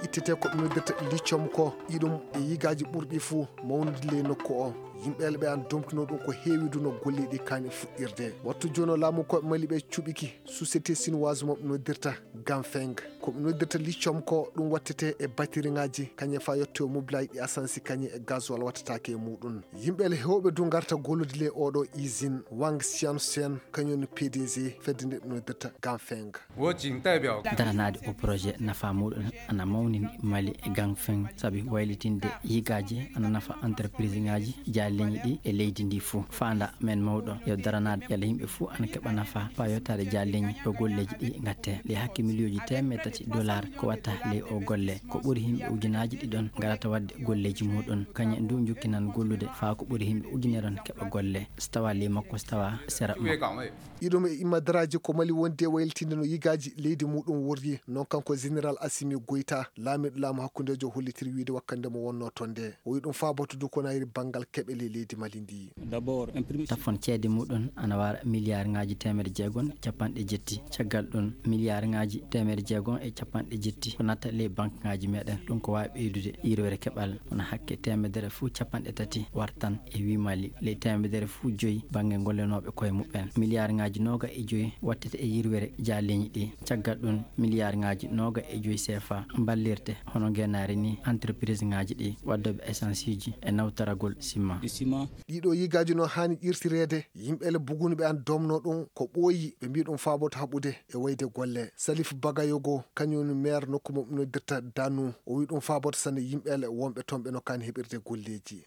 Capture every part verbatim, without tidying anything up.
Ittete ko ɓe noddirta lithium ko, iɗum e yigaaji ɓurɗi fuu mawnude ley nokku o. Yimɓe ɓe an domtino ɗum ko heewi du no golleeji ɗi kaani fuɗɗirde. Wattu jooni o laamu ko Mali ɓe cuɓiki société chinoise mo ɓe noddirta Ganfeng. Ko ɓe noddirta lithium ko ɗum wattete e batiriŋaaji, kañum faa yotte o mobilaaji ɗi asansi kañum e gasoil wattataake e muɗum. Yimɓe le heewɓe du ngarta gollude ley oɗo usine. Wang Xiansen kañum woni P D G fedde nde ɓe noddirta Ganfeng. Daranaade o projet nafa muɗum ana mawnini Mali e Ganfeng sabi waylitinde yigaaji ana nafa entreprise ŋaaji jaalleñi ɗi e leydi ndi fuu. Faanda men mawɗo yo daranaade yalla yimɓe fuu ana keɓa nafa faa yottaade jaalleñi ɗo golleeji ɗi ngatte. Ley hakke miliyooji teemeɗe tati dollar ko watta ley o golle. Ko ɓuri yimɓe ujunaaji ɗiɗon ngarata waɗde golleeji muɗum. Kañum ndu jokkinan gollude faa ko ɓuri yimɓe ujuneron keɓa golle. So tawa ley makko, so tawa sera makko. Iɗum e immadaraaji ko Mali wondi e waylitinde no yigaaji leydi muɗum worri, noon kanko Général Assimi Goïta, laamiiɗo laamu hakkundeejo hollitiri wiyde wakkande mo wonnoo toon nde. O wiyi ɗum faaboto du ko nayri banngal keɓe ley leydi Mali ndi. Tafon ceede muɗum ana wara miliyaar ŋaaji teemedde jeegom e capanɗe jetti. Caggal ɗum, miliyaar ŋaaji teemedde jeegom e capanɗe jetti ko natta ley banque ŋaaji meɗen. Ɗum ko waawi ɓeydude yirwere keɓal. Wona hakke teemedere fuu capanɗe tati wartan e wii Mali. Ley teemedere fuu joyi bannge gollenooɓe koye muɓɓen. Miliyaar ŋaaji nooga e joyi wattete e yirwere jaaleñi ɗi. Caggal ɗum, miliyaar ŋaaji nooga e joyi C F A mballirte hono ngeenaari ni entreprise ŋaaji ɗi waddooɓe essence uji e nawtoragol sima. Ɗiɗo yigaaji no haani ƴirtireede, yimɓe le bugunɓe an domno ɗum ko ɓooyi, ɓe mbii ɗum faaboto haɓude e wayde golle. Salif Bagayogo, kañum woni maire nokku mo ɓe noddirta Danu, o wii ɗum faaboto sanne yimɓe le wonɓe toon ɓe no kaani heɓirde golleeji.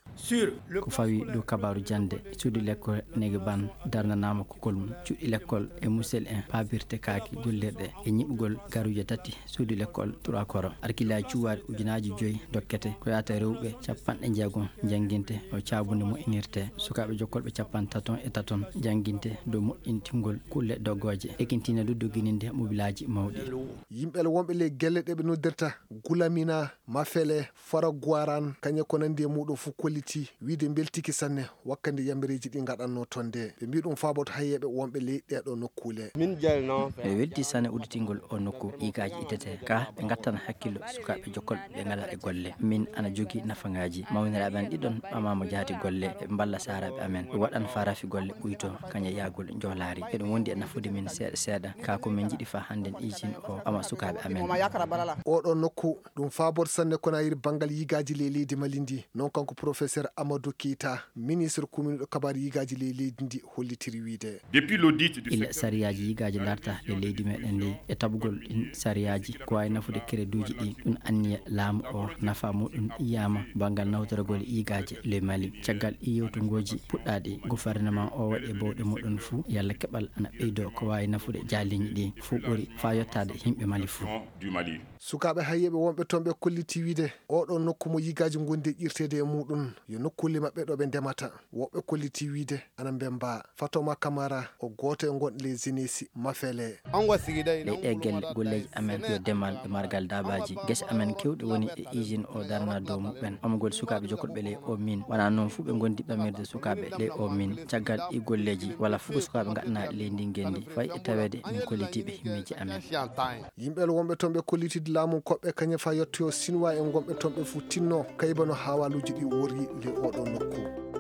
Ko fawi dow kabaaru jannde, suudu lekkol Negeban darnanaama kukol mum. Cuuɗi lekkol e musel en paabirte kaaki gollirɗe e ñiɓugol garuuje tati suudu lekkol Trois Koro. Arkilaaji cuwaari ujunaaji joyi dokkete ko yaata rewɓe capanɗe jeegom jannginte no caabunde moƴƴinirte. Sukaaɓe jokkolɓe capanɗe taton e taton jannginte dow moƴƴintingol kulle doggooje, ekintine du doggininde mobilaaji mawɗi. Yimɓe le wonɓe ley gelle ɗe ɓe noddirta Gulamina, Mafele, Faraguaran, kañe ko nanndi e muɗum fof kolliti wiyde mbeltiki sanne wakkande yambereeji ɗi ngaɗannoo toon nde. Ɓe mbii ɗum faaboto hayyeeɓe wonɓe ley ɗeeɗoo nokkuule. Min jalno. Miɗo weltii sanne udditingol o nokku yigaaji ittete ka ɓe ngattana hakkillo sukaaɓe jokkolɓe ɓe ngalaa e golle. Min ana jogii nafangaaji. Mawniraaɓe an ɗiɗon ɓamaama jaati golle. Eɓe mballa saaraaɓe amen. Ɓe waɗan faa rafi golle ɓuytoo kañe yaagol njoolaari. Eɗum wondi e nafude min seeɗa seeɗa. Ka ko min njiɗi faa hannden usine o ɓama sukaaɓe amen. Oɗo nokku ɗum faaboto sanne ko na yiri banngal yigaaji ley leydi Mali ndi. Noon kanko professeur Amadou Keita, ministre kuminuɗo kabaari yigaaji ley leydi ndi hollitiri wiyde. Illa sariyaaji yigaaji larta ley leydi meɗen ndi e tabugol ɗin sariyaaji ko waawi nafude kereduuji ɗi. Ɗum anniya laamu o nafa muɗum yiyaama banngal nawtoragol yigaaji ley Mali. Caggal ɗi yewtungooji puɗɗaaɗi, gouvernement o waɗi e bawɗe muɗum fuu yalla keɓal ana ɓeydoo ko waawi nafude jaaliiñi ɗi fuu ɓuri faa yottaade yimɓe Mali fuu. Sukaaɓe hayyeeɓe wonɓe toon ɓe kolliti wiyde oɗo nokku mo yigaaji ngondi e ƴirteede e muɗum yo nokkuule maɓɓe ɗo ɓe ndemata. Woɓɓe kolliti wiyde ana mbemba. Fatoma Kamara o gooto e ngonɗo ley Zenesi Mafele. Ley ɗee gelle golleeji amen ko yo demal e margal daabaaji. Gese amen keewɗe woni e usine o darana dow muɓɓen. Ɓamugol sukaaɓe jokkolɓe ley o min. Wonaa noon fuu ɓe ngondi ɓamirde sukaaɓe ley o min. Caggal ɗii golleeji wala fuu ko sukaaɓe ngaɗanaaɗi ley ndin ngenndi. Fay e taweede min kollitiiɓe himmeeji amen. Yimɓe wonɓe toon ɓe kollitide laamu koɓɓe kañe faa yettoyo Sinwaa en gonɓe toon ɓe fuu tinno kayba no haawaaluuji ɗi worri ley oɗo nokku.